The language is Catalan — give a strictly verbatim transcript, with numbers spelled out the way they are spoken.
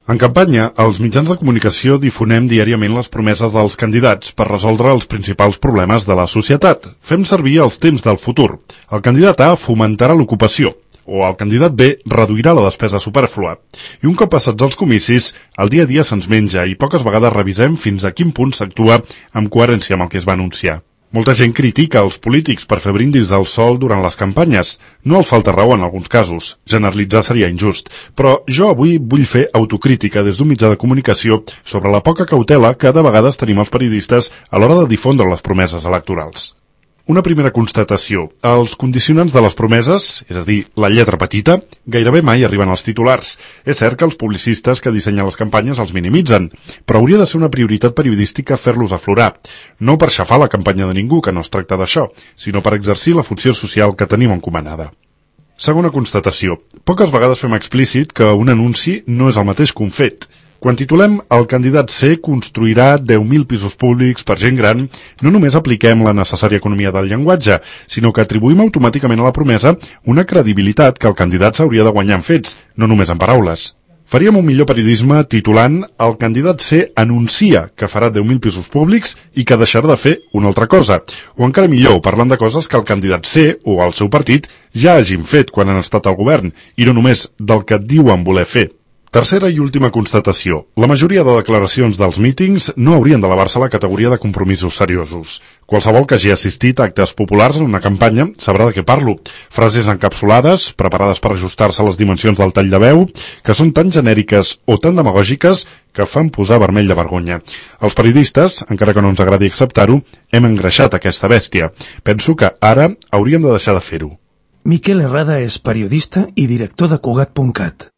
En campanya, els mitjans de comunicació difonem diàriament les promeses dels candidats per resoldre els principals problemes de la societat. Fem servir els temps del futur. El candidat A fomentarà l'ocupació, o el candidat B reduirà la despesa supèrflua. I un cop passats els comicis, el dia a dia se'ns menja i poques vegades revisem fins a quin punt s'actua amb coherència amb el que es va anunciar. Molta gent critica els polítics per fer brindis al sol durant les campanyes. No els falta raó en alguns casos. Generalitzar seria injust. Però jo avui vull fer autocrítica des d'un mitjà de comunicació sobre la poca cautela que de vegades tenim els periodistes a l'hora de difondre les promeses electorals. Una primera constatació. Els condicionants de les promeses, és a dir, la lletra petita, gairebé mai arriben als titulars. És cert que els publicistes que dissenyen les campanyes els minimitzen, però hauria de ser una prioritat periodística fer-los aflorar. No per xafar la campanya de ningú, que no es tracta d'això, sinó per exercir la funció social que tenim encomanada. Segona constatació. Poques vegades fem explícit que un anunci no és el mateix que un fet. Quan titulem "El candidat C construirà deu mil pisos públics per gent gran", no només apliquem la necessària economia del llenguatge, sinó que atribuïm automàticament a la promesa una credibilitat que el candidat s'hauria de guanyar en fets, no només en paraules. Faríem un millor periodisme titulant "El candidat C anuncia que farà deu mil pisos públics i que deixarà de fer una altra cosa", o encara millor, parlant de coses que el candidat C o el seu partit ja hagin fet quan han estat al govern, i no només del que diuen voler fer. Tercera i última constatació. La majoria de declaracions dels mítings no haurien d'elevar-se a la categoria de compromisos seriosos. Qualsevol que hagi assistit a actes populars en una campanya sabrà de què parlo. Frases encapsulades, preparades per ajustar-se a les dimensions del tall de veu, que són tan genèriques o tan demagògiques que fan posar vermell de vergonya. Els periodistes, encara que no ens agradi acceptar-ho, hem engreixat aquesta bèstia. Penso que ara hauríem de deixar de fer-ho. Miquel Herrada és periodista i director de Cugat punt cat.